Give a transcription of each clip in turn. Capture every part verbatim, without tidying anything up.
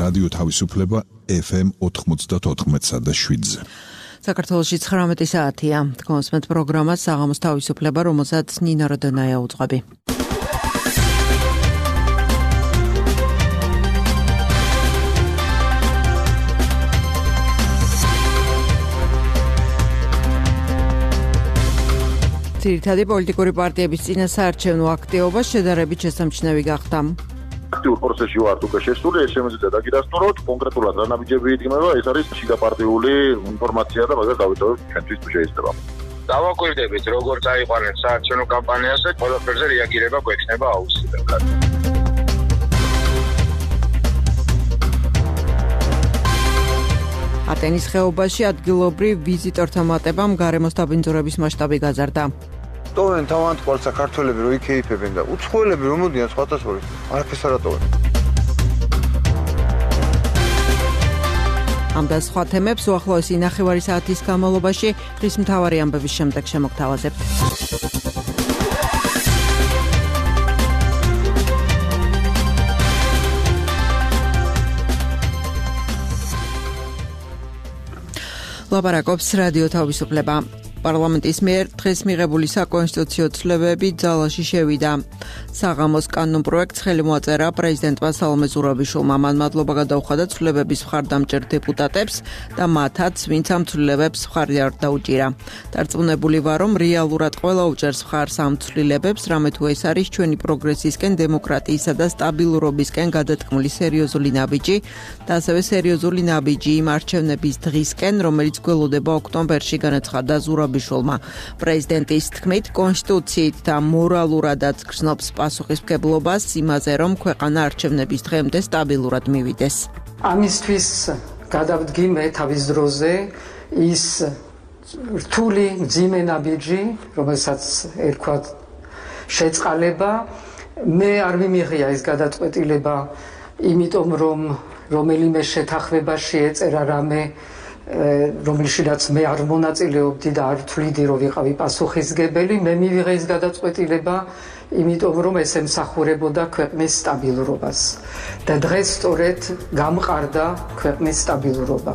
რადიო თავისუფლება ეფ ემ ოთხმოცდაოთხ და შვიდზე. საქართველოში ცხრამეტი საათია. თქვენს პროგრამას საღამოს თავისუფლება, რომელსაც ნინო როდონაია უძღვები. ძირითადი პოლიტიკური პარტიების წინასაარჩევნო აქტივობა შედარებით შესამჩნევი გახდა. აქტიურ პროცესში ვართ უკვე შესული, ეს შემიძლია დაგიდასტუროთ, კონკრეტულად რა ნაბიჯები იდგმება, ეს არის შიგაპარტიული ინფორმაცია და მაგას დავიტოვებთ ჩვენთვის თუ შეიძლება. დავაკვირდებით, როგორ წაიყვანეთ საარჩევნო კამპანიაზე, ყველაფერზე რეაგირება გვექნება აუცილებლად. ატენის ხეობაში ადგილობრივ ვიზიტორთა მატებამ გარემოს დაბინძურების მასშტაბი გაზარდა. ტოვენ თავანთვალ საქართველები რო იქეიფებენ და უცხოელები რომ მოდიან სხვათა შორის არაფერს არ ატოვენ. ამ და სხვა თემებს უახლოესი ნახევარი საათის განმავლობაში დღის მთავარი ამბების შემდეგ შემოგთავაზებთ. ლაპარაკობს რადიო თავისუფლება. პარლამენტის მიერ დღეს მიღებული საკონსტიტუციო ცვლილებები ძალაში შევიდა. საღამოს კანონპროექტს ხელი მოაწერა პრეზიდენტმა სალომე ზურაბიშვილმა. მან მადლობა გადაუხადა ცვლილებების მხარდამჭერ დეპუტატებს და მათაც, ვინც ამ ცვლილებებს მხარი არ დაუჭირა. დარწმუნებული ვარ, რომ რეალურად ყველა უჭერს მხარს ამ ცვლილებებს, რამე თუ ეს არის ჩვენი პროგრესისკენ, დემოკრატიისა და სტაბილურობისკენ გადატკმული სერიოზული ნაბიჯი და ასევე სერიოზული ნაბიჯი იმ არჩევნების დღისკენ, რომელიც გველოდება ოქტომბერში, განაცხადა ზურაბიშვილმა. პრეზიდენტის თქმით, კონსტიტუციით და მორალურადაც გრძნობს პასუხისმგებლობას იმაზე, რომ ქვეყანა არჩევნების დღემდე სტაბილურად მივიდეს. ამისთვის გადავდგიმე თავის დროზე ის რთული მძიმე ნაბიჯი, რომელსაც ერქვა შეწყალება. მე არ მიმიღია ეს გადაწყვეტილება, იმიტომ რომ რომელიმე შეთანხმებაში ეწერა რამე, რომელშიც მე არ მონაწილეობდი და არ თვლიდი, რომ ვიყავი პასუხისმგებელი. მე მივიღე ეს გადაწყვეტილება, იმიტომ რომ ეს ემსახურებოდა ქვეყნის სტაბილურობას და დღეს სწორედ გამყარდა ქვეყნის სტაბილურობა.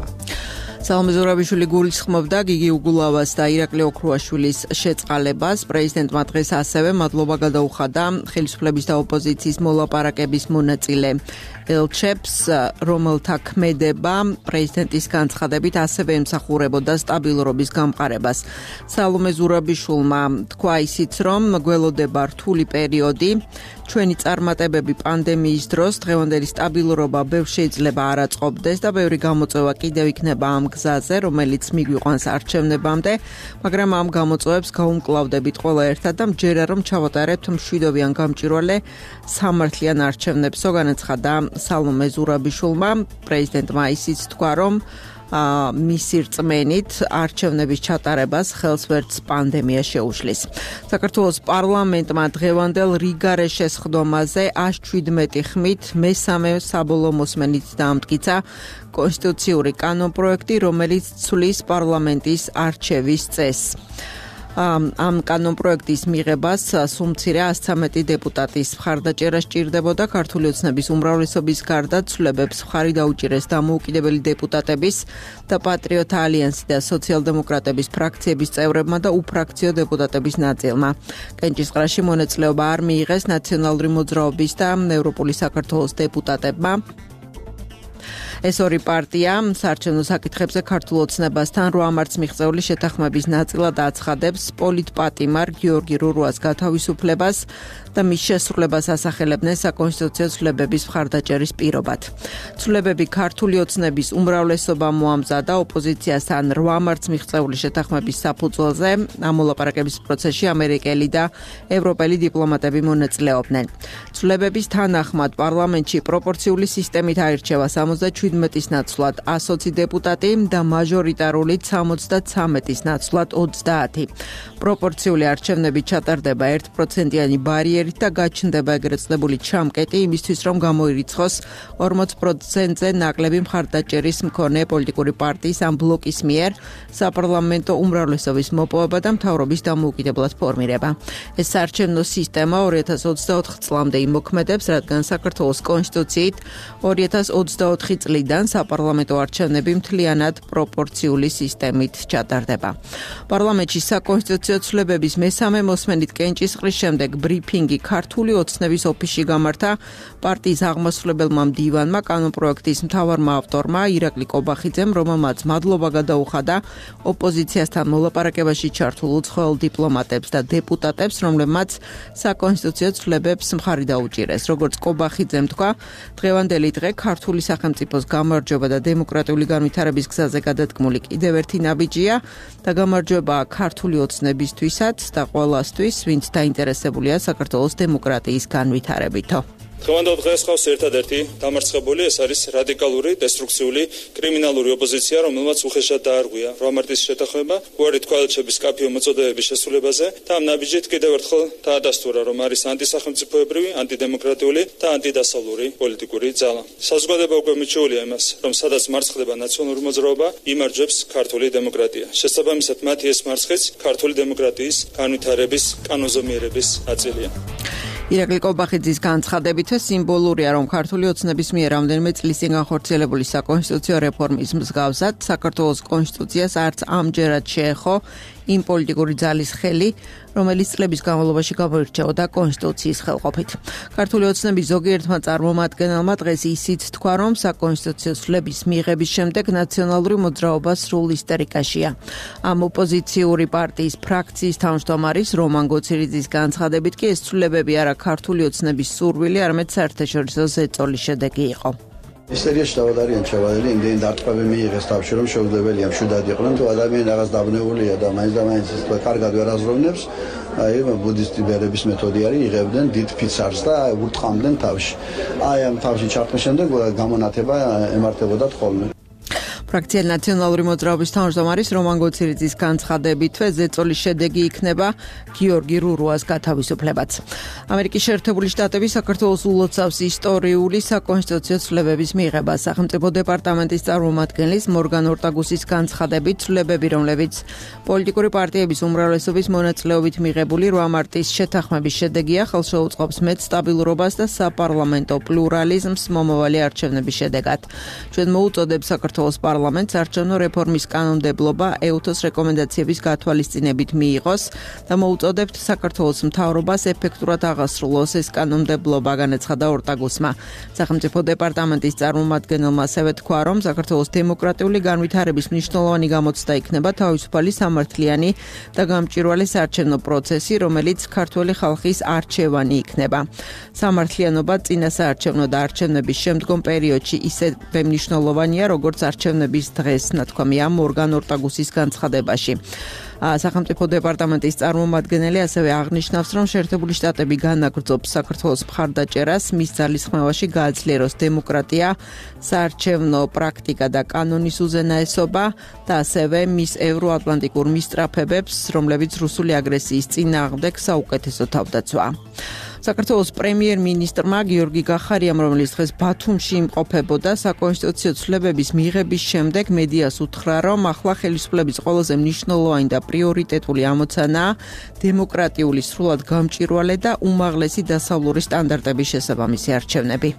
სალომე ზურაბიშვილი გულისხმობდა გიგი უგულავას და ირაკლი ოქრუაშვილის შეწყალებას. პრეზიდენტმა დღეს ასევე მადლობა გადაუხადა ხელისუფლების და ოპოზიციის მოლაპარაკების მონაწილე ელჩებს, რომელთა ქმედება პრეზიდენტის განცხადებით ასევე ემსახურებოდა სტაბილურობის გამყარებას. სალომე ზურაბიშვილმა თქვა ისიც, რომ გველოდება რთული პერიოდი. ჩვენი წარმატებები პანდემიის დროს დღევანდელი სტაბილურობა ბევრ შეიძლება არ აწყობდეს და ბევრი გამოწვევა კიდევ იქნება ამ გზაზე, რომელიც მიგვიყვანს არჩევნებამდე, მაგრამ ამ გამოწვევებს გაუმკლავდებით ყველა ერთად და მჯერა რომ ჩავატარებთ მშვიდობიან გამჭვირვალე სამართლიან არჩევნებსო, განაცხადა სალომე ზურაბიშვილმა. პრეზიდენტმა ისიც თქვა, რომ მისი რწმენით არჩევნების ჩატარებას ხელს ვერც პანდემია შეუშლის. საქართველოს პარლამენტმა დღევანდელ რიგარე შესხდომაზე ას შვიდმეტი ხმით მესამე საბოლოო მოსმენით დაამტკიცა კონსტიტუციური კანონპროექტი, რომელიც ცვლის პარლამენტის არჩევის წესს. ამ კანონპროექტის მიღებას სულ მცირე ას ცხრამეტი დეპუტატის მხარდაჭერა სჭირდებოდა. ქართული ოცნების უმრავლესობის გარდა ცვლილებებს მხარი დაუჭირეს დამოუკიდებელი დეპუტატების და პატრიოტთა ალიანსი და სოციალ-დემოკრატების ფრაქციების წევრებმა და უფრაქციო დეპუტატების ნაწილმა. კენჭისყრაში მონაწილეობა არ მიიღეს ნაციონალური მოძრაობის და ევროპული საქართველოს დეპუტატებმა. ეს ორი პარტია საარჩევნო საკითხებზე ქართულ ოცნებასთან რვა მარტს მიღწეული შეთანხმების ნაწილად აცხადებს პოლიტპატიმარ გიორგი რურუას გათავისუფლებას და მის შესრულებას ასახელებდნენ საკონსტიტუციო ცვლილებების მხარდაჭერის პირობად. ცვლილებები ქართული ოცნების უმრავლესობამ მოამზადა ოპოზიციასთან რვა მარტს მიღწეული შეთანხმების საფუძველზე. ამ მოლაპარაკების პროცესში ამერიკელი და ევროპელი დიპლომატები მონაწილეობდნენ. ცვლილებების თანახმად პარლამენტში პროპორციული სისტემით აირჩევა სამოცდაშვიდი ოცდაათის ნაცვლად ასოცი დეპუტატი და მაჟორიტარული სამოცდათრამეტის ნაცვლად ოცდაათი. პროპორციული არჩევნები ჩატარდება ერთ პროცენტიანი ბარიერით და გაჩნდება ეგრეთ წოდებული ჩამკეტი იმისთვის, რომ გამოირიცხოს ორმოც პროცენტზე ნაკლები მხარდაჭერის მქონე პოლიტიკური პარტიის ამ ბლოკის მიერ საპარლამენტო უმრავლესობის მოპოვება და მთავრობის დამოუკიდებლად ფორმირება. ეს საარჩევნო სისტემა ორი ათას ოცდაოთხ წლამდე იმოქმედებს, რადგან საქართველოს კონსტიტუციით ორი ათას ოცდაოთხი წლიდან საპარლამენტო არჩევნები მთლიანად პროპორციული სისტემით ჩატარდება. პარლამენტში საკონსტიტუციო ცვლილებების მესამე მოსმენით კენჭისყრის შემდეგ ბრიფინგი ქართული ოცნების ოფისში გამართა პარტიის აღმასრულებელმა მდივანმა, კანონპროექტის მთავარმა ავტორმა ირაკლი კობახიძემ, რომელმაც მადლობა გადაუხადა ოპოზიციასთან მოლაპარაკებაში ჩართულ უცხოელ დიპლომატებს და დეპუტატებს, რომლებმაც საკონსტიტუციო ცვლილებებს მხარი დაუჭირეს. როგორც კობახიძემ თქვა, დღევანდელი დღე ქართული სახელმწიფოს გამარჯვება და დემოკრატიული განვითარების გზაზე გადადგმული კიდევ ერთი ნაბიჯია და გამარჯვებაა ქართული ოცნებისთვისაც და ყველასთვის, ვინც დაინტერესებულია საქართველოს დემოკრატიის განვითარებითო. დღევანდელ დღეს ხავს ერთადერთი დამარცხებული, ეს არის რადიკალური, დესტრუქციული, კრიმინალური ოპოზიცია, რომელმაც უხეშად დაარღვია რვა მარტის შეთანხმება, უარი თქვა ელჩების კაფეო მოწოდებების შესრულებაზე და ამ ნაბიჯით კიდევ ერთხელ დაადასტურა, რომ არის ანტისახელმწიფოებრივი, ანტიდემოკრატიული და ანტიდასავლური პოლიტიკური ძალა. საზოგადოება უკვე მიჩვეულია იმას, რომ სადაც მარცხდება ნაციონალური მოძრაობა, იმარჯვებს ქართული დემოკრატია. შესაბამისად, მათი ეს მარცხიც ქართული დემოკრატიის განვითარების, კანონზომიერების ნაწილია. ირაკლი კობახიძის განცხადებითაც სიმბოლურია, რომ ქართული ოცნების მიერ რამდენიმე წლის წინ განხორციელებული საკონსტიტუციო რეფორმის მსგავსად საქართველოს კონსტიტუციას არც ამჯერად შეეხო იმ პოლიტიკური ძალის ხელი, რომელიც წლების განმავლობაში გამოირჩეოდა კონსტიტუციის ხელყოფით. ქართული ოცნების ზოგიერთმა წარმომადგენელმა დღეს ისიც თქვა, რომ საკონსტიტუციო ცვლილების მიღების შემდეგ ნაციონალური მოძრაობა სრულ ისტერიკაშია. ამ ოპოზიციური პარტიის ფრაქციის თავმჯდომარის რომან გოცირიძის განცხადებით კი ეს ცვლილებები არა ქართული ოცნების სურვილი, არამედ საერთაშორისო ზეწოლის შედეგი იყო. ისტერიაში დავადარიან ჩავადილი, იმდენი დარტყმები მიიღეს თავში, რომ შეუძლებელია მშვიდად იყვნენ, თუ ადამიანი რაღაც დაბნეულია და მაინც და მაინც ის კარგად ვერ აზროვნებს, აი ბუდისტი ბერების მეთოდი არის, იღებდნენ დიდ ფიცარს და ურტყამდნენ თავში. აი ამ თავში ჩართმის შემდეგ გამონათება ემართებოდათ ხოლმე. ფრაქცია ნაციონალური მოძრაობის თავმჯდომარის რომან გოცირიძის განცხადებითვე ზეწოლის შედეგი იქნება გიორგი რურუას გათავისუფლებაც. ამერიკის შეერთებული შტატები საქართველოს ულოცავს ისტორიული საკონსტიტუციო ცვლილებების მიღებას. სახელმწიფო დეპარტამენტის წარმომადგენლის მორგან ორტაგუსის განცხადებით, ცვლილებები, რომლებიც პოლიტიკური პარტიების უმრავლესობის მონაწილეობით მიღებული რვა მარტის შეთანხმების შედეგია, ხელშეუწყობს მეტ სტაბილურობას და საპარლამენტო პლურალიზმს მომავალი არჩევნების შედეგად. ჩვენ მოუწოდებ საქართველოს პარლამენტს არჩევნო რეფორმის კანონმდებლობა ეუთოს რეკომენდაციების გათვალისწინებით მიიღოს და მოუწოდებთ საქართველოს მთავრობას ეფექტურად აღასრულოს ეს კანონმდებლობა, განაცხადა ორტაგუსმა. სახელმწიფო დეპარტამენტის წარმომადგენელმა ასევე თქვა, რომ საქართველოს დემოკრატიული განვითარების მნიშვნელოვანი გამოცდა იქნება თავისუფალი, სამართლიანი და გამჭვირვალე საარჩევნო პროცესი, რომელიც ქართველი ხალხის არჩევანი იქნება. სამართლიანობა წინა საარჩევნო და არჩევნების შემდგომ პერიოდში ისევე მნიშვნელოვანია, როგორც არჩევნების დღეს, ნათქვამია მორგან ორტაგუსის განცხადებაში. სახელმწიფო დეპარტამენტის წარმომადგენელი ასევე აღნიშნავს, რომ შეერთებული შტატები განაგრძობს საქართველოს მხარდაჭერას, მის ძალისხმევაში გააძლიეროს დემოკრატია, საარჩევნო პრაქტიკა და კანონის უზენაესობა და ასევე მის ევროატლანტიკურ მისწრაფებებს, რომლებიც რუსული აგრესიის წინააღმდეგ საუკეთესო თავდაცვაა. საქართველოს პრემიერ-მინისტრმა გიორგი გახარიამ, რომელიც დღეს ბათუმში იმყოფებოდა, საკონსტიტუციო ცვლილებების მიღების შემდეგ მედიას უთხრა, რომ ახლა ხელისუფლების ყველაზე მნიშვნელოვანი და პრიორიტეტული ამოცანაა დემოკრატიული, სრულად გამჭვირვალე და უმაღლესი დასავლური სტანდარტების შესაბამისი არჩევნები.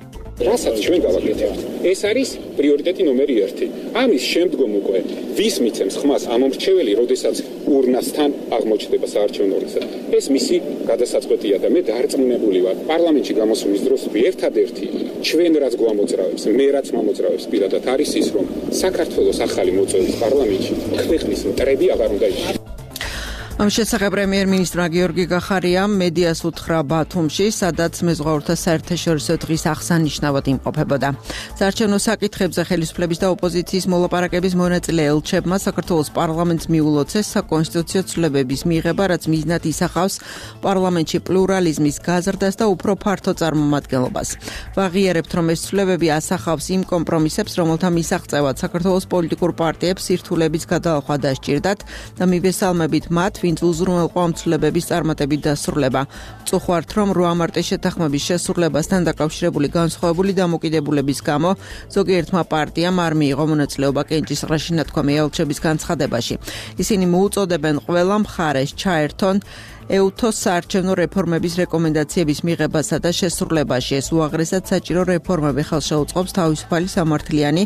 რასაც ჩვენ გავაკეთებთ, ეს არის პრიორიტეტი ნომერი ერთი. ამის შემდგომ უკვე ვის მიცემს ხმას ამომრჩეველი, როდესაც ურნასთან აღმოჩნდება საარჩევნო ურნასა. ეს მისი გადასაწყვეტია და მე დარწმუნებული ვარ, პარლამენტში გამოსვლის დროს ერთადერთი ჩვენ რაც გვამოძრავებს, მე რაც მომოძრავებს პირადად არის ის, რომ საქართველოს ახალი მოწვევის პარლამენტში ქვეყნის მტრები აღარ უნდა იყოს. ამის შესახებ პრემიერ-მინისტრმა გიორგი გახარიამ მედიას უთხრა ბათუმში, სადაც მეზღვაურთა საერთაშორისო დღის აღსანიშნავად იმყოფებოდა. საარჩევნო საკითხებზე ხელისუფლების და ოპოზიციის მოლაპარაკების მონაწილე ელჩებმა საქართველოს პარლამენტს მიულოცეს საკონსტიტუციო ცვლილებების მიღება, რაც მიზნად ისახავს პარლამენტში პლურალიზმის გაზრდას და უფრო ფართო წარმომადგენლობას. ვაღიარებთ, რომ ეს ცვლილებები ასახავს იმ კომპრომისებს, რომელთა მისაღწევად საქართველოს პოლიტიკურ პარტიებს სირთულების გადალახვა დასჭირდათ და მივესალმებით მათ, ვინც უზრუნველყო ამ ცვლილებების წარმატებით დასრულება. ვწუხართ, რომ რვა მარტის შეთანხმების შესრულებასთან დაკავშირებული განსხვავებული დამოკიდებულების გამო ზოგიერთმა პარტიამ არ მიიღო მონაწილეობა კენჭისყრაში ნათქვამი ელჩების განცხადებაში. ისინი მოუწოდებენ ყველა მხარეს ჩაერთონ ეუთოს საარჩევნო რეფორმების რეკომენდაციების მიღებასა და შესრულებაში. ეს უაღრესად საჭირო რეფორმები ხელშეუწყობს თავისუფალი, სამართლიანი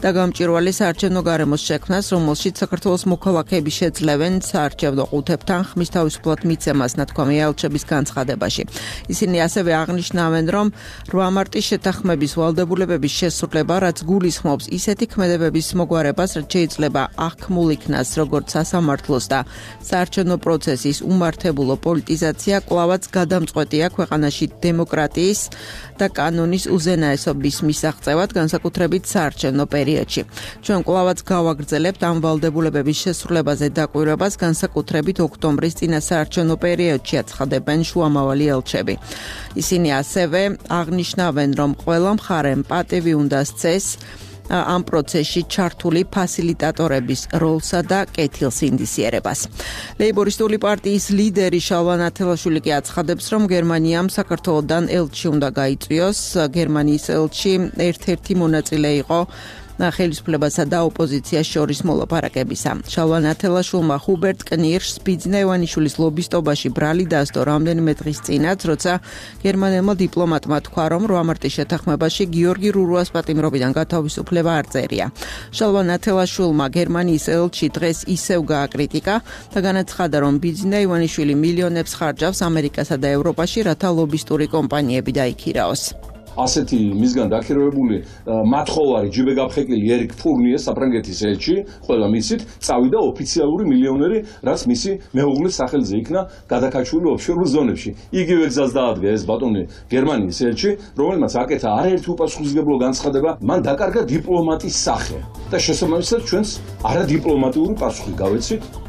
და გამჭვირვალე საარჩევნო გარემოს შექმნას, რომელშიც საქართველოს მოქალაქეები შეძლევენ საარჩევნო ყუთებთან ხმის თავისუფლად მიცემას ნათქვამი ელჩების განცხადებაში. ისინი ასევე აღნიშნავენ, რომ რვა მარტის შეთანხმების ვალდებულებების შესრულება, რაც გულისხმობს ისეთი ქმედებების მოგვარებას, რაც შეიძლება აღქმულ იქნას როგორც სასამართლოს და საარჩევნო პროცესის უმართებელ პოლიტიზაცია კვლავაც გადამწყვეტია ქვეყანაში დემოკრატიის და კანონის უზენაესობის მისაღწევად, განსაკუთრებით საარჩევნო პერიოდში. ჩვენ კვლავაც გავაგრძელებთ ამ ვალდებულებების შესრულებაზე დაკვირვებას, განსაკუთრებით ოქტომბრის წინა საარჩევნო პერიოდში, აცხადებენ შუამავალი ელჩები. ისინი ასევე აღნიშნავენ, რომ ყველა მხარემ პატივი უნდა სცეს ამ პროცესში ჩართული ფასილიტატორების როლსა და კეთილს ინდისიერებას. ლეიბორისტული პარტიის ლიდერი შალვა ნათელაშვილი კი აცხადებს, რომ გერმანიამ საქართველოდან ელჩი უნდა გაიწვიოს. გერმანიის ელჩი ერთ-ერთი მონაწილე იყო ხელისუფლებასა და ოპოზიციას შორის მოლაპარაკებისა. შალვა ნათელაშვილმა ჰუბერტ კნირშს ბიძინა ივანიშვილის ლობისტობაში ბრალი დასდო რამდენიმე დღის წინაც, როცა გერმანელმა დიპლომატმა თქვა, რომ რვა მარტის შეთანხმებაში გიორგი რურუას პატიმრობიდან გათავისუფლება არ წერია. შალვა ნათელაშვილმა გერმანიის ელჩი დღეს ისევ გააკრიტიკა და განაცხადა, რომ ბიძინა ივანიშვილი მილიონებს ხარჯავს ამერიკასა და ევროპაში, რათა ლობისტური კომპანიები დაიქირაოს. ასეთი მისგან დაქირავებული მათხოვარი ჯიბეგაფხეკილი ერიკ ფურნიე საფრანგეთის ელჩი, ყველა მიცით, წავიდა ოფიციალური მილიონერი, რაც მისი მეუღლის სახელზე იქნა გადაკაჩული ოფშორულ ზონებში. იგივე გზას დაადგა ეს ბატონი გერმანიის ელჩი, რომელმაც აკეთა არაერთი უპასუხისმგებლო განცხადება, მან დაკარგა დიპლომატის სახე და შესაბამისად ჩვენს არადიპლომატიური პასუხი გავეცით.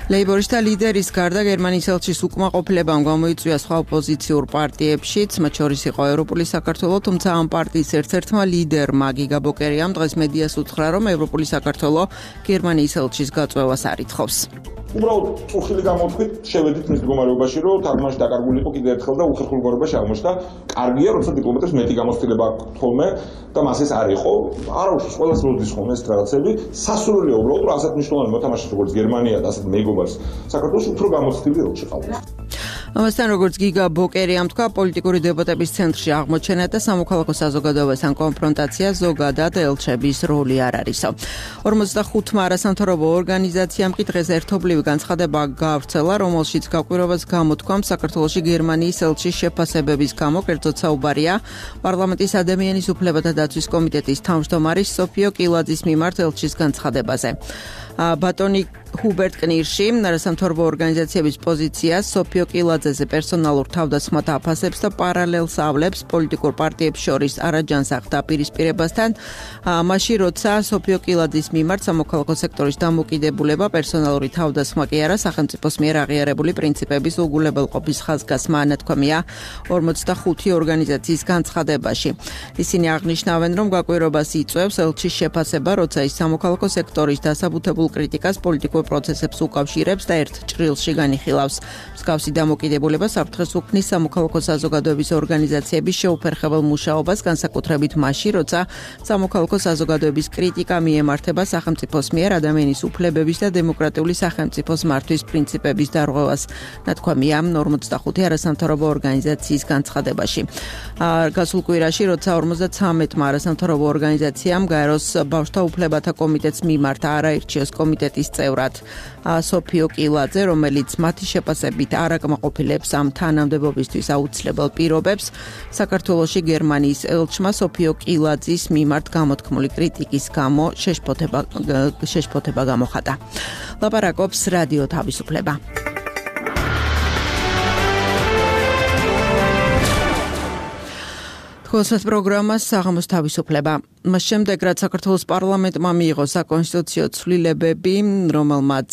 ლეიბორისტთა ლიდერის გარდა გერმანიის ელჩის უკმაყოფილებამ გამოიწვია სხვა ოპოზიციურ პარტიებშიც, მათ შორის იყო ევროპული საქართველო, თუმცა ამ პარტიის ერთ-ერთმა ლიდერმა გიგა ბოკერიამ დღეს მედიას უთხრა, რომ ევროპული საქართველო გერმანიის ელჩის გაწვევას არ ითხოვს. უბრალოდ წუხილი გამოთქვით, შევედით მის მდგომარეობაში, რომ თარგმანში დაკარგული იყო კიდევ ერთხელ და უხერხულ მდგომარეობაში აღმოჩნდა. კარგია, როცა დიპლომატებს მეტი გამოცდილება აქვს თოლმე და მას ეს არ იყო. არა უშავს ყველას როდის ხომ ეს რაღაცები. სასურველია უბრალოდ, რომ ასეთ მნიშვნელოვანი მოთამაშეს როგორც გერმანია და ასეთ მეგობარს საქართველოს უფრო გამოცდილი ელჩი ყავდა. ამასთან, როგორც გიგა ბოკერიამ თქვა, პოლიტიკური დებატების ცენტრში აღმოჩენა და სამოქალაქო საზოგადოებასთან კონფრონტაცია ზოგადად ელჩების როლი არ არისო. ორმოცდახუთმა არასამთავრობო ორგანიზაციამ კი დღეს ერთობლივი განცხადება გაავრცელა, რომელშიც გაკვირვებას გამოთქვამს საქართველოში გერმანიის ელჩის შეფასებების გამო, კერძოდ საუბარია პარლამენტის ადამიანის უფლებათა დაცვის კომიტეტის თავმჯდომარის სოფიო კილაძის მიმართ ელჩის განცხადებაზე. ბატონი ჰუბერტ კნირში არასამთავრობო ორგანიზაციების პოზიციას სოფიო კილაძეზე პერსონალურ თავდასხმად აფასებს და პარალელს ავლებს პოლიტიკურ პარტიებს შორის არაჯანსაღ დაპირისპირებასთან, მაშინ როცა სოფიო კილაძის მიმართ სამოქალაქო სექტორის დამოკიდებულება, პერსონალური თავდასხმა კი არა, სახელმწიფოს მიერ აღიარებული პრინციპების უგულებელყოფის ხაზგასმა ანათქვამია ორმოცდახუთი ორგანიზაციის განცხადებაში. ისინი აღნიშნავენ, რომ გაკვირვებას იწვევს ელჩის შეფასება, როცა ის სამოქალაქო სექტორის დასაბუთებულ კრიტიკას პოლიტიკურ პროცესებს უკავშირებს და ერთ ჭრილში განიხილავს. მსგავსი დამოკიდებულება საფრთხეს უქმნის სამოქალაქო საზოგადოების ორგანიზაციების შეუფერხებელ მუშაობას, განსაკუთრებით მაშინ, როცა სამოქალაქო საზოგადოების კრიტიკა მიემართება სახელმწიფოს მიერ ადამიანის უფლებების და დემოკრატიული სახელმწიფოს მართვის პრინციპების დარღვევას, ნათქვამია ორმოცდახუთი არასამთავრობო ორგანიზაციის განცხადებაში. გასულ კვირაში, როცა ორმოცდაცამეტმა არასამთავრობო ორგანიზაციამ გაეროს ბავშვთა უფლებათა კომიტეტს მიმართა არაირჩიოს კომიტეტის წევრად სოფიო კილაძე, რომელიც მათი შეფასებით არ აკმაყოფილებს აადვილებს ამ თანამდებობისთვის აუცილებელ პირობებს. საქართველოში გერმანიის ელჩმა სოფიო კილაძის მიმართ გამოთქმული კრიტიკის გამო შეშფოთება შეშფოთება გამოხატა. ლაპარაკობს რადიო თავისუფლება. Խոսეთ პროგრამას საღამოს თავისუფლება. მას შემდეგ რაც საქართველოს პარლამენტმა მიიღო საკონსტიტუციო ცვლილებები, რომელმაც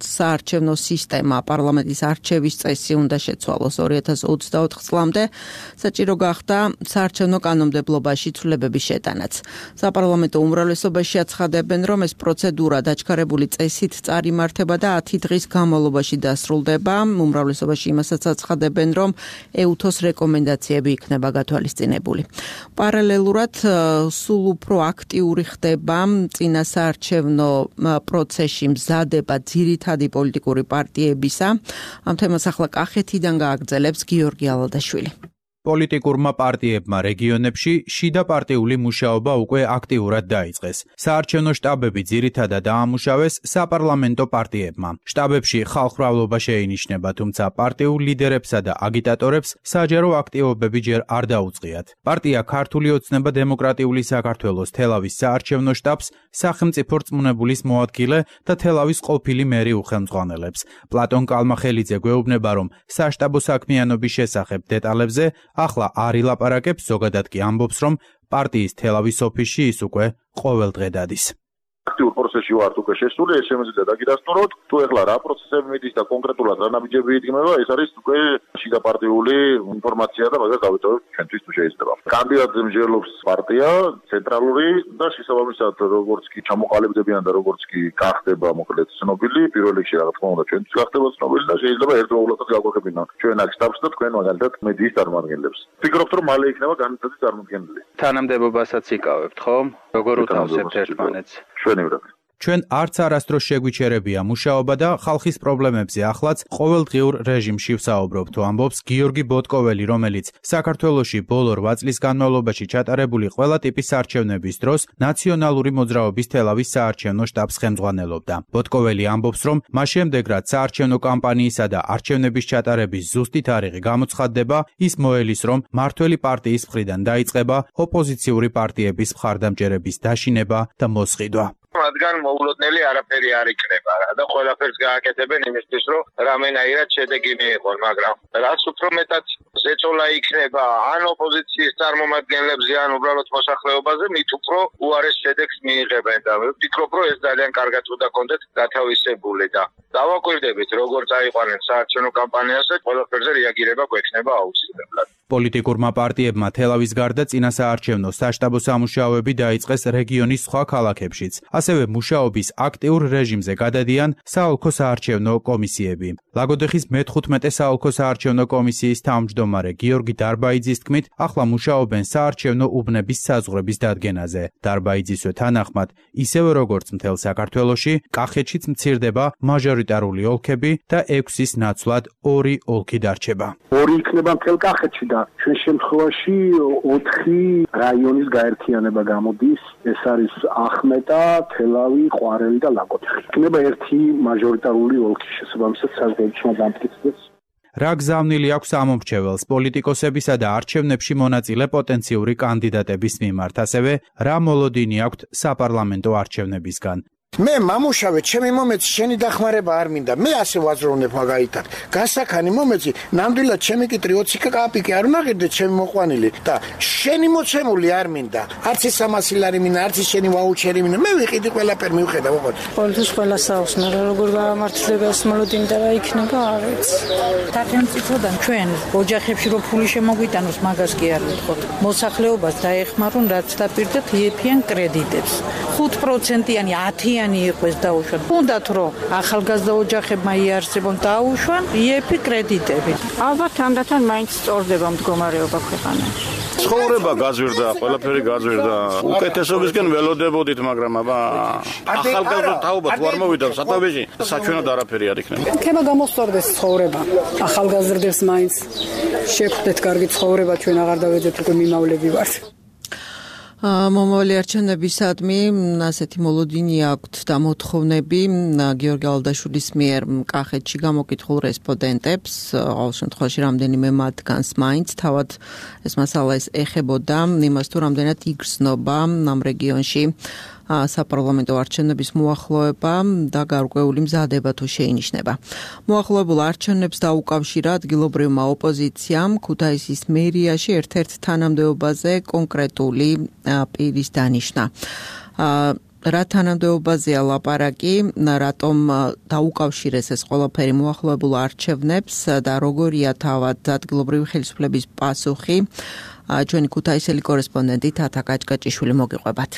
საარჩევნო სისტემა პარლამენტის არჩევის წესი უნდა შეცვალოს ორი ათას ოცდაოთხ წლამდე, საჭირო გახდა საარჩევნო კანონმდებლობაში ცვლილებების შეტანაც. საპარლამენტო უმრავლესობაში აცხადებენ, რომ ეს პროცედურა დაჩქარებული წესით წარიმართება და ათი დღის განმავლობაში დასრულდება. უმრავლესობაში იმასაც აცხადებენ, რომ ეუთოს რეკომენდაციები იქნება გათვალისწინებული. პარალელურად სულ უფრო აქტიური ხდება წინა საარჩევნო პროცესში მზადება ძირითადი პოლიტიკური პარტიებისა. ამ თემას ახლა კახეთიდან გააგრძელებს გიორგი ალადაშვილი. პოლიტიკურმა პარტიებმა რეგიონებში შიდა პარტიული მუშაობა უკვე აქტიურად დაიწყეს. საარჩევნო შტაბები ძირითადად დაამუშავეს საპარლამენტო პარტიებმა. შტაბებში ხალხმრავლობა შეინიშნება, თუმცა პარტიულ ლიდერებსა და აგიტატორებს საჯარო აქტივობები ჯერ არ დაუწყიათ. პარტია ქართული ოცნება დემოკრატიული საქართველოს თელავის საარჩევნო შტაბს სახელმწიფო რწმუნებულის მოადგილე და თელავის ყოფილი მერი უხელმძღვანელებს. პლატონ კალმახელიძე გვეუბნება, რომ საშტაბო საქმიანობის შესახებ დეტალებზე ახლა არ ილაპარაკებს, ზოგადად კი ამბობს, რომ პარტიის თელავის ოფისში ის უკვე ყოველდღე დადის. აქტიურ პროცესში ვართ უკვე შესული, ეს შემიძლია დაგიდასტუროთ. თუ ეხლა რა პროცესები მიდის და კონკრეტულად რა ნაბიჯები იდგმება, ეს არის უკვე შიდა პარტიული ინფორმაცია და მაგას დავიტოვებთ ჩვენთვის თუ შეიძლება. კანდიდატზე მსჯელობს პარტია, ცენტრალური და შესაბამისად როგორც კი ჩამოყალიბდებიან და როგორც კი გახდება მოკლედ ცნობილი, პირველ რიგში რა თქმა უნდა ჩვენთვის გახდება ცნობილი და შეიძლება ერთდროულად გაგვეყებინონ ჩვენ აქ შტაბს და თქვენ მაგალითად მედიის წარმომადგენლებს. ვფიქრობთ, რომ მალე იქნება განათლების წარმოდგენილი. თანამდებობასაც იკავებთ, ხო? როგორ უთავსებთ ერთმანეთს? ჩვენ არც არასდროს შეგვიჩერებია მუშაობა და ხალხის პრობლემებზე ახლაც ყოველდღიურ რეჟიმში ვსაუბრობ, თუ ამბობს გიორგი ბოტკოველი, რომელიც საქართველოში ბოლო რვა წლის განმავლობაში ჩატარებული ყველა ტიპის არჩევნების დროს ნაციონალური მოძრაობის თელავის საარჩევნო შტაბს ხელმძღვანელობდა. ბოტკოველი ამბობს, რომ მას შემდეგ რაც საარჩევნო კამპანიისა და არჩევნების ჩატარების ზუსტი თარიღი გამოცხადდება, ის მოელის, რომ მართველი პარტიის მხრიდან დაიწყება ოპოზიციური პარტიების მხარდამჭერების დაშინება და მოსყიდვა. რადგან მოულოდნელი არაფერი არ იქნება და ყველაფერს გააკეთებენ იმისთვის, რომ რამენაირად შედეგი მიიღონ, მაგრამ რაც უფრო მეტად ზეწოლა იქნება ან ოპოზიციის წარმომადგენლებზე, ან უბრალოდ მოსახლეობაზე, მით უფრო უარეს შედეგს მიიღებენ და ვფიქრობ, რომ ეს ძალიან კარგად უნდა კონდეთ გათავისებული და დავაკვირდებით, როგორ წაიყვანენ საარჩევნო კამპანიაზე, ყველაფერზე რეაგირება გვექნება აუცილებლად. პოლიტიკურმა პარტიებმა თელავის გარდა წინა საარჩევნო საშტაბო სამუშაოები დაიწყეს რეგიონის სხვა ქალაქებშიც. ასევე მუშაობის აქტიურ რეჟიმზე გადადიან საოლქო საარჩევნო კომისიები. ლაგოდეხის მეთხუთმეტე საოლქო საარჩევნო კომისიის თავმჯდომარე გიორგი დარბაიძის თქმით, ახლა მუშაობენ საარჩევნო უბნების საზღვრების დადგენაზე. დარბაიძისვე თანახმად, ისევე როგორც მთელ საქართველოში, კახეთშიც მცირდება მაჟორიტარული ოლქები და ექვსის ნაცვლად ორი ოლქი დარჩება. ორი იქნება მთელ კახეთში და ჩვენ შემთხვევაში ოთხი რაიონის გაერთიანება გამოდის. ეს არის ახმეტა, თელავი, ყვარელი და ლაგოდეხი. იქნება ერთი მაჟორიტარული ოლქი შესაბამისად საზღვრებში დამტკიცდეს. რა გზავნილი აქვს ამომრჩეველს პოლიტიკოსებისა და არჩევნებში მონაწილე პოტენციური კანდიდატების მიმართ, ასევე რა მოლოდინი აქვთ საპარლამენტო არჩევნებისგან. მე მამუშავე, ჩემი მომეცი, შენი დახმარება არ მინდა. მე ასე ვაძროვნებ მაგალითად. გასაქანი მომეცი, ნამდვილად ჩემი კი ტრიოცი კაპიკი არ უნაღირდე ჩემი მოყვანილი და შენი მოცემული არ მინდა. არც ის სამასი ლარი მინდა, არც ის შენი ვაუჩერი მინდა. მე ვიყიდი ყველაფერი მივხედა, მოყოთ. ყოველთვის ყველა საობს, მაგრამ როგორ გამართლდება ეს მოლოდინი და რა იქნება, არ ვიცი. სახელმწიფოდან ჩვენ ოჯახებში რო ფული შემოგვიტანოს, მაგას კი არ ვიტყოდ. მოსახლეობას დაეხმარონ, რაც დაპირდათ იეფიან კრედიტებს. ხუთ პროცენტიანი ათი იყოს დაუშვან. უნდათ რომ ახალგაზრდა ოჯახებმა იარსებონ დაუშვან იეფი კრედიტები. ალბათ ამდათან მაინც სწორდება მდგომარეობა ქვეყანაში. ცხოვრება გაძვირდა, ყველაფერი გაძვირდა. უკეთესობისკენ ველოდებოდით, მაგრამ აბა ახალგაზრდა თაობა თუ არ მოვიდა სათავეში, საჩვენად არაფერი არ იქნება. ხება გამოსწორდეს ცხოვრება. ახალგაზრდებს მაინც შეხვდეთ კარგი ცხოვრება, ჩვენ აღარ დავეძებთ უკვე მიმავლები ვართ. მომავალი არჩევნებისადმი ასეთი მოლოდინი აქვთ და მოთხოვნები გიორგი ალდაშვილის მიერ კახეთში გამოკითხულ რესპონდენტებს, ყოველ შემთხვევაში რამდენიმე მათგანს მაინც თავად ეს მასალა ეს ეხებოდა იმას თუ რამდენად იგრძნობა ამ რეგიონში საპარლამენტო არჩევნების მოახლოება და გარკვეული მზადება თუ შეინიშნება. მოახლოებულ არჩევნებს დაუკავშირა ადგილობრივმა ოპოზიციამ ქუთაისის მერიაში ერთ-ერთ თანამდებობაზე კონკრეტული პირის დანიშვნა. რა თანამდებობაზეა ლაპარაკი, რატომ დაუკავშირეს ეს ყველაფერი მოახლოებულ არჩევნებს და როგორია თავად ადგილობრივი ხელისუფლების პასუხი, ჩვენი ქუთაისელი კორესპონდენტი თათა კაჭკაჭიშვილი მოგიყვებათ.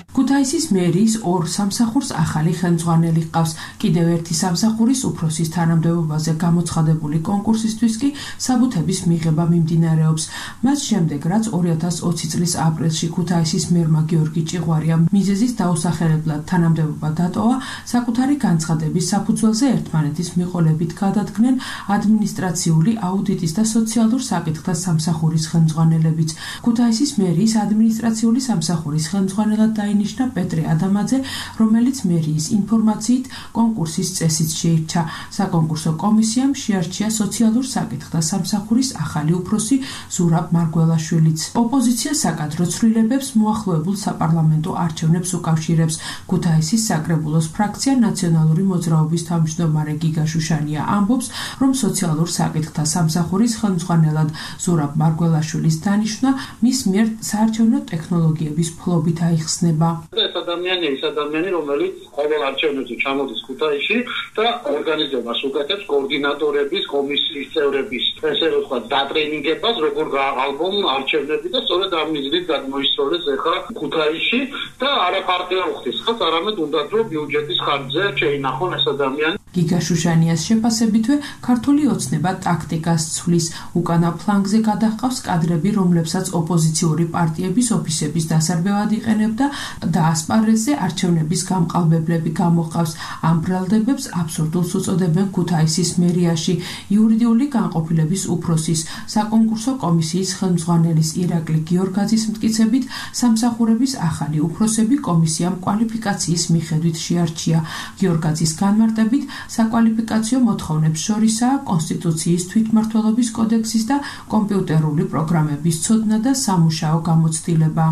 ქუთაისის მერიის ორ სამსახურს ახალი ხელმძღვანელი ჰყავს. კიდევ ერთი სამსახურის უფროსის თანამდებობაზე გამოცხადებული კონკურსისთვის კი საბუთების მიღება მიმდინარეობს. მას შემდეგ, რაც ორი ათას ოცი წლის აპრილში ქუთაისის მერმა გიორგი ჭიღვარიამ მიზეზის დაუსახელებლად თანამდებობა დატოვა, საკუთარი განცხადების საფუძველზე ერთმანეთის მიყოლებით გადადგნენ ადმინისტრაციული, აუდიტის და სოციალურ საკითხთა სამსახურის ხელმძღვანელებიც. ქუთაისის მერიის ადმინისტრაციული სამსახურის ხელმძღვანელად დაინიშნა პეტრე ადამაძე, რომელიც მერიის ინფორმაციით კონკურსის წესით შეირჩა. საკონკურსო კომისიამ შეარჩია სოციალურ საკითხთა სამსახურის ახალი უფროსი ზურაბ მარგველაშვილიც. ოპოზიცია საკადრო ცვლილებებს მოახლოებულ საპარლამენტო არჩევნებს უკავშირებს. ქუთაისის საკრებულოს ფრაქცია ნაციონალური მოძრაობის თავმჯდომარე გიგა შუშანია ამბობს, რომ სოციალურ საკითხთა სამსახურის ხელმძღვანელად ზურაბ მარგველაშვილის დანიშვნა მის მიერ საარჩევნო ტექნოლოგიების ფლობით აიხსნება. ეს ადამიანი ის ადამიანი, რომელიც ყოველ არჩევნებზე ჩამოდის ქუთაისში და ორგანიზებას უკეთებს კოორდინატორების, კომისიის წევრების, ესე რომ ვთქვათ, დატრენინგებას, როგორ გააყალბონ არჩევნები და სწორედ ამ მიზნით გადმოისწორეს ახლა ქუთაისში და არა პარტია უხდის, ხალხ არამედ უნდა რომ ბიუჯეტის ხარჯზე შეინახონ ეს ადამიანი. გიგა შუშანიას შეფასებითვე ქართული ოცნება ტაქტიკას ცვლის. უკანა ფლანგზე გადაჰყავს კადრები, რომლებსაც ოპოზიციური პარტიების ოფისების დასარბევად იყენებდა და ასპარეზზე არჩევნების გამყალბებლები გამოჰყავს. ამ ბრალდებებს აბსურდულს უწოდებენ ქუთაისის მერიაში. იურიდიული განყოფილების უფროსის საკონკურსო კომისიის ხელმძღვანელის ირაკლი გიორგაძის მტკიცებით, სამსახურების ახალი უფროსები კომისიამ კვალიფიკაციის მიხედვით შეარჩია. გიორგაძის განმარტებით, საკვალიფიკაციო მოთხოვნებს შორისაა კონსტიტუციის თვითმმართველობის კოდექსის და კომპიუტერული პროგრამების ცოდნა და სამუშაო გამოცდილება.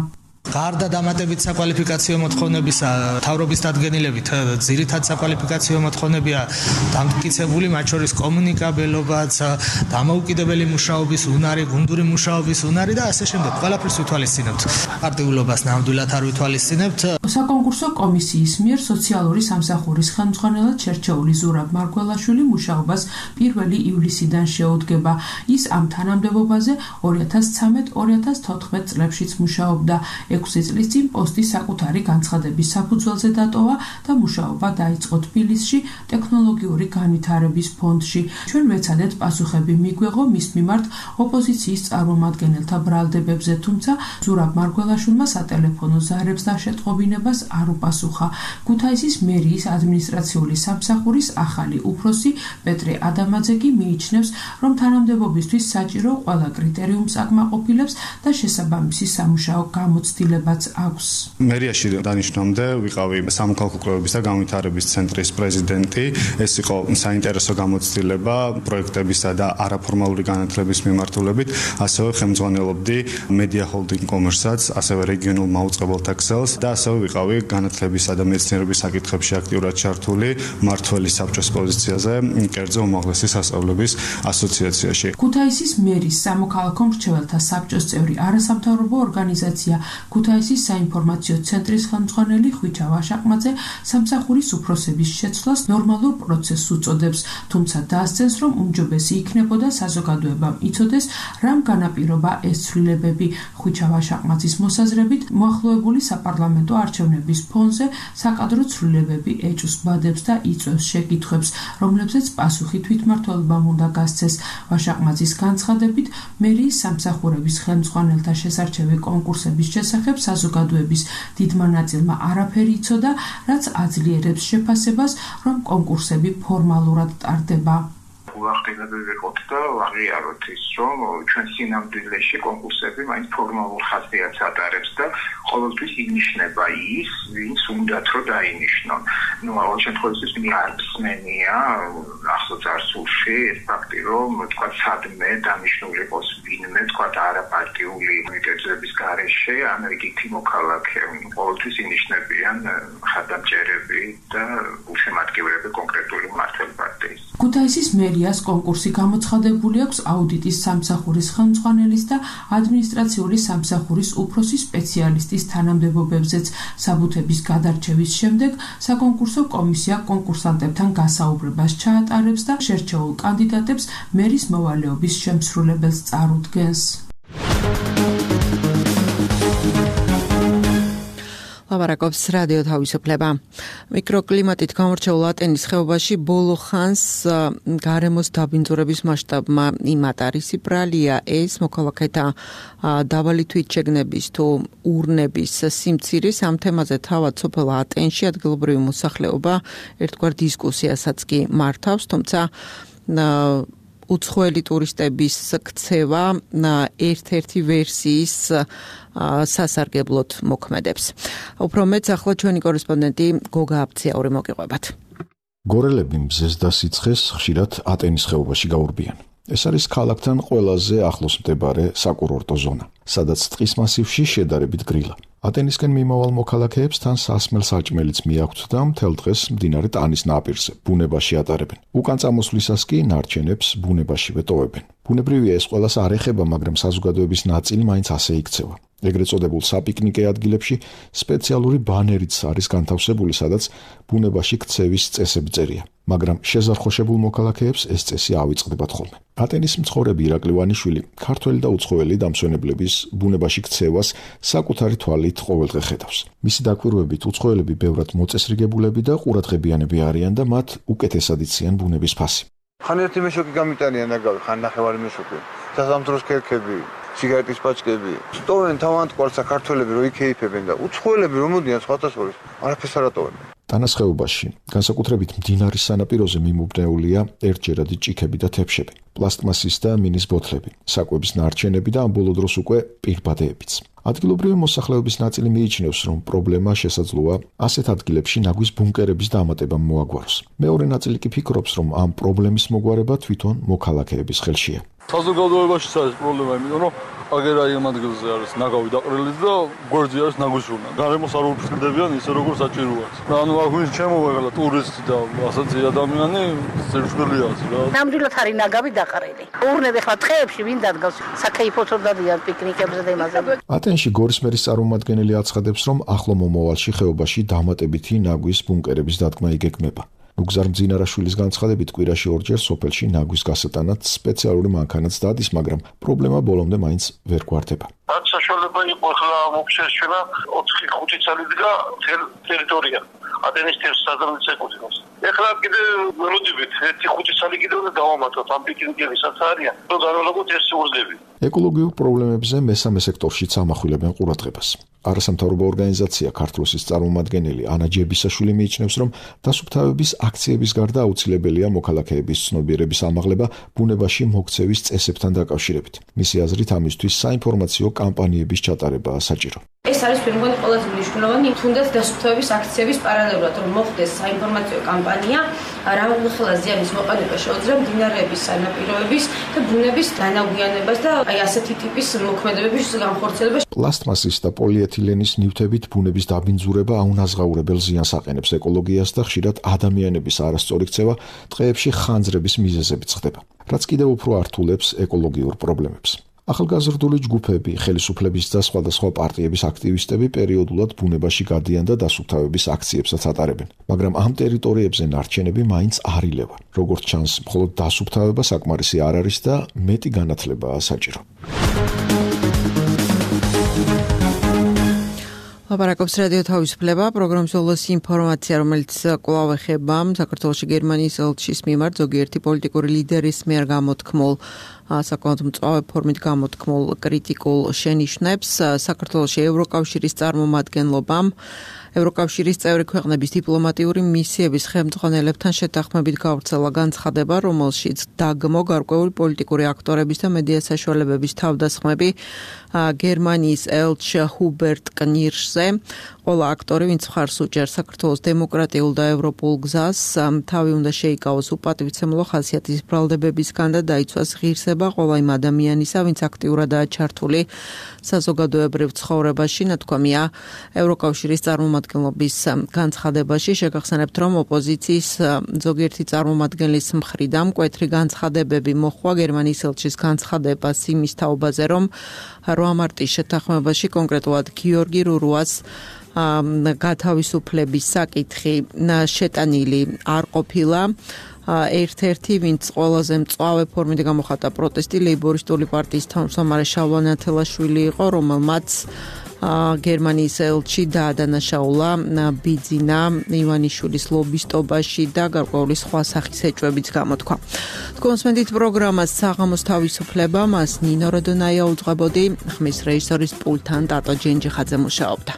გარდა დამატებით საკვალიფიკაციო მოთხოვნებისა, მთავრობის დადგენილებით ძირითად საკვალიფიკაციო მოთხოვნებია დამტკიცებული, მათ შორის კომუნიკაბელობაც, დამოუკიდებელი მუშაობის უნარი, გუნდური მუშაობის უნარი და ასე შემდეგ. ყველაფერს ვითვალისწინებთ. პარტიულობას ნამდვილად არ ვითვალისწინებთ. საკონკურსო კომისიის მიერ სოციალური სამსახურის ხელმძღვანელად შერჩეული ზურაბ მარგველაშვილი მუშაობას პირველი ივლისიდან შეუდგება. ის ამ თანამდებობაზე ორი ათას ცხრამეტ ორი ათას თოთხმეტ წლებშიც მუშაობდა. ექვსი წლის წინ პოსტი საკუთარი განცხადების საფუძველზე დატოვა და მუშაობა დაიწყო თბილისში ტექნოლოგიური განვითარების ფონდში. ჩვენ ვეცადეთ პასუხები მიგვეღო მის მიმართ ოპოზიციის წარმომადგენელთა ბრალდებებზე, თუმცა ზურაბ მარგველაშვილმა სატელეფონო ზარებს და შეტყობინებას არ უპასუხა. ქუთაისის მერიის ადმინისტრაციული სამსახურის ახალი უფროსი პეტრე ადამაძე კი მიიჩნევს, რომ თანამდებობისთვის საჭირო ყველა კრიტერიუმს აკმაყოფილებს და შესაბამისი სამუშაო გამოცდილებაც აქვს. მერიაში დანიშნამდე ვიყავი სამოქალაქო კვლევების და განვითარების ცენტრის პრეზიდენტი. ეს იყო საინტერესო გამოცდილება პროექტებისა და არაფორმალური განათლების მიმართულებით. ასევე ხელმძღვანელობდი მედია ჰოლდინგ კომერსაც, ასევე რეგიონულ მაუწყებელთა ქსელს და ასევე ვიყავი განათლებისა და მეცნიერების საკითხებში აქტიურად ჩართული მმართველის საბჭოს პოზიციაზე კერძო უმაღლესი სასწავლებლების ასოციაციაში. ქუთაისის მერის სამოქალაქო მრჩეველთა საბჭოს წევრი არასამთავრობო ორგანიზაცია ქუთაისის საინფორმაციო ცენტრის ხელმძღვანელი ხვიჩა ვაშაყმაძე სამსახურის უფროსების შეცვლას ნორმალურ პროცესს უწოდებს, თუმცა დაასცენს, რომ უმჯობესი იქნებოდა საზოგადოებამ იცოდეს, რამ განაპირობა ეს ცვლილებები. ხვიჩა ვაშაყმაძის მოსაზრებით, მოახლოებული საპარლამენტო არჩევნების ფონზე საკადრო ცვლილებები ეჭვს ბადებს და იწვევს შეკითხვებს, რომლებზეც პასუხი თვითმმართველობამ უნდა გასცეს. ვაშაყმაძის განცხადებით, მერიის სამსახურების ხელმძღვანელთა შესარჩევი კონკურსების შესახებ საზოგადოების დიდმა ნაწილმა არაფერი იცოდა, რაც აძლიერებს შეფასებას, რომ კონკურსები ფორმალურად ტარდება. უახდებები ვიყოთ და ვაღიაროთ ის, რომ ჩვენ სინამდვილეში კონკურსები მაინც ფორმალურ ხასიათს ატარებს და ყოველთვის ინიშნება ის, ვინც უნდათ რომ დაინიშნონ. ნუ ყოველ შემთხვევაში მე არ მსმენია ახლო წარსულში ეს ფაქტი, რომ თქვა სადმე დანიშნული იყოს ვინმე, თქვა არაპარტიული მიტეწების გარეშე ან რიგითი მოქალაქე. ყოველთვის ინიშნებიან ხადამჭერები და უშემატკივრები კონკრეტული მმართველ პარტიის. ქუთაისის მერიას კონკურსი გამოცხადებული აქვს აუდიტის სამსახურის ხელმძღვანელის და ადმინისტრაციული სამსახურის უფროსი სპეციალისტის თანამდებობებზეც. საბუთების გადარჩევის შემდეგ საკონკურსო კომისია კონკურსანტებთან გასაუბრებას ჩაატარებს და შერჩეულ კანდიდატებს მერის მოვალეობის შემსრულებელს წარუდგენს. ლაპარაკობს რადიო თავისუფლება. მიკროკლიმატით გამორჩეულ ატენის ხეობაში ბოლო ხანს გარემოს დაბინძურების მასშტაბმა იმატარისი ბრალია ეს მოქალაქეთა დაბალი თვითშეგნების თუ ურნების სიმცირის. ამ თემაზე თავად სოფელ ატენში ადგილობრივი მოსახლეობა ერთგვარ დისკუსიასაც კი მართავს, თუმცა უცხოელი ტურისტების ქცევა ერთ-ერთი ვერსიის სასარგებლოდ მოქმედებს. უფრო მეც ახლა ჩვენი კორესპონდენტი გოგა აბციაური მოგიყვებათ. გორელები მზეს და სიცხეს ხშირად ატენის ხეობაში გაურბიან. ეს არის ქალაქთან ყველაზე ახლოს მდებარე საკურორტო ზონა, სადაც ტყის მასივში შედარებით გრილა. ატენისკენ მიმავალ მოქალაქეებს თან სასმელ საჭმელიც მიაქვთ და მთელ დღეს მდინარე ტანის ნაპირზე ბუნებაში ატარებენ. უკან წამოსვლისას კი ნარჩენებს ბუნებაშივე ტოვებენ. ბუნებრივია ეს ყველას არ ეხება, მაგრამ საზოგადოების ნაწილი მაინც ასე იქცევა. ეგრეთ წოდებულ საპიკნიკე ადგილებში სპეციალური ბანერიც არის განთავსებული, სადაც ბუნებაში ქცევის წესები წერია. მაგრამ შეზარხოშებულ მოქალაქეებს ეს წესი ავიწყდებათ ხოლმე. ატენის მცხოვრები ირაკლი ვანიშვილი ქართველი და უცხოელი დამსვენებლების ბუნებაში ქცევას საკუთარი თვალით ყოველდღე ხედავს. მისი დაკვირვებით უცხოელები ბევრად მოწესრიგებულები და ყურადღებიანები არიან და მათ უკეთესად იციან ბუნების ფასი. ხან ერთი მეშოკი გამიტანიან ნაგავი, ხან ნახევარი მეშოკი. სასამთროს ქერქები, სიგარეტის პაჭკები. სტოვენ თავანტყვალ საქართველები რო იქეიფებენ და უცხოელები რომ მოდიან სხვათა შორის, არაფერს არ ატოვენ. ტანას ხეობაში, განსაკუთრებით მდინარის სანაპიროზე მიმობნეულია ერთჯერადი ჭიქები და თეფშები, პლასტმასის და მინის ბოთლები, საკვების ნარჩენები და ამ ბოლო დროს უკვე პირბადეებიც. ადგილობრივი მოსახლეობის ნაწილი მიიჩნევს, რომ პრობლემა შესაძლოა ასეთ ადგილებში ნაგვის ბუნკერების დამატებამ მოაგვაროს. მეორე ნაწილი კი ფიქრობს, რომ ამ პრობლემის მოგვარება თვითონ მოქალაქეების ხელშია. საზოგადოებაშიც არის პრობლემა, იმიტომ რომ აგერაი ამ ადგილზე არის ნაგავი დაყრილი და გვერდზე არის ნაგვის ურნა. გარემოს არ უფრთხილდებიან ისე როგორც საჭიროა. და ანუ აქ ვინც შემოვეღლა ტურისტი და ასეთი ადამიანი სერჩხილია რა. ნამდვილად არის ნაგავი დაყრილი. ურნები ხლა ტყეებში ვინ დადგავს? საკეიფოთო დადიან პიკნიკებზე და იმაზე. ატენში გორის მერის წარმომადგენელი აცხადებს, რომ ახლო მომავალში ხეობაში დამატებითი ნაგვის ბუნკერების დადგმა იგეგმება. ნუგზარ მძინარაშვილის განცხადებით კვირაში ორჯერ სოფელში ნაგვის გასატანად სპეციალური მანქანაც დადის, მაგრამ პრობლემა ბოლომდე მაინც ვერ გვარდება. რაც საშუალება იყო ხლა მოგშეშენა ოთხი ხუთი წელი დგა თელ ტერიტორია ატენის თერსადამის ეკუთვნოს. ეხლა კიდე ველოდებით ერთი ხუთი წელი კიდე უნდა დავამატოთ ამ პიკნიკებისაც არიან, რომ განვალაგოთ ეს ურგები. ეკოლოგიურ პრობლემებზე მესამე სექტორშიც ამახვილებენ ყურადღებას. არასამთავრობო ორგანიზაცია ქართლოსის წარმომადგენელი ანა ჯებისაშვილი მიიჩნევს, რომ დასუფთავების აქციების გარდა აუცილებელია მოქალაქეების ცნობიერების ამაღლება ბუნებაში მოქცევის წესებთან დაკავშირებით. მისი აზრით, ამისთვის საინფორმაციო კამპანიების ჩატარებაა საჭირო. ეს არის პირველი ყველაზე მნიშვნელოვანი, თუნდაც დასუფთავების აქციების პარალელურად, რომ მოხდეს საინფორმაციო კამპანია, რა უხელა ზიანის მოყენება შეუძლია მდინარეების სანაპიროების და ბუნების განაგვიანებას და აი ასეთი ტიპის მოქმედებების განხორციელებას. პლასტმასის და პოლიეთილენის ნივთებით ბუნების დაბინძურება აუნაზღაურებელ ზიანს აყენებს ეკოლოგიას და ხშირად ადამიანების არასწორი ქცევა ტყეებში ხანძრების მიზეზებით ხდება, რაც კიდევ უფრო ართულებს ეკოლოგიურ პრობლემებს. ახალგაზრდული ჯგუფები, ხელისუფლების და სხვადასხვა პარტიების აქტივისტები პერიოდულად ბუნებაში გადიან და დასუფთავების აქციებსაც ატარებენ, მაგრამ ამ ტერიტორიებზე ნარჩენები მაინც არ ილევა. როგორც ჩანს, მხოლოდ დასუფთავება საკმარისი არ არის და მეტი განათლებაა საჭირო. ლაპარაკობს რადიო თავისუფლება, პროგრამის ბოლოს ინფორმაცია, რომელიც კვლავ ეხება საქართველოში გერმანიის ელჩის მიმართ ზოგიერთი პოლიტიკური ლიდერის მიერ გამოთქმულ საკმაოდ მწვავე ფორმით გამოთქმულ კრიტიკულ შენიშვნებს. საქართველოში ევროკავშირის წარმომადგენლობამ ევროკავშირის წევრი ქვეყნების დიპლომატიური მისიების ხელმძღვანელებთან შეთანხმებით გავრცელა განცხადება, რომელშიც დაგმო გარკვეული პოლიტიკური აქტორების და მედია საშუალებების თავდასხმები გერმანიის ელჩ ჰუბერტ კნირშზე. ყველა აქტორი, ვინც მხარს უჭერს საქართველოს დემოკრატიულ და ევროპულ გზას, თავი უნდა შეიკავოს უპატივცემლო ხასიათის ბრალდებებისგან და დაიცვას ღირსება ყველა იმ ადამიანისა, ვინც აქტიურადაა ჩართული საზოგადოებრივ ცხოვრებაში. ნათქვამია ევროკავშირის წარმომადგენლობის განცხადებაში. შეგახსენებთ, რომ ოპოზიციის ზოგიერთი წარმომადგენლის მხრიდან მკვეთრი განცხადებები მოხდა გერმანიის ელჩის განცხადებას იმის თაობაზე, რომ რვა მარტის შეთანხმებაში კონკრეტულად გიორგი რურუას გათავისუფლების საკითხი შეტანილი არ ყოფილა. ერთ-ერთი, ვინც ყველაზე მწვავე ფორმით გამოხატა პროტესტი, ლეიბორისტული პარტიის თავმჯდომარე შალვა ნათელაშვილი იყო, რომელმაც გერმანიის ელჩი დაადანაშაულა ბიძინა ივანიშვილის ლობისტობაში და გარკვეული სხვა სახის ეჭვებიც გამოთქვა. კონსმენდით პროგრამას საღამოს თავისუფლება, მას ნინო როდონაია უძღვებოდი, ხმის რეჟისორის პულტთან ტატო ჯენჯიხაძე მუშაობდა.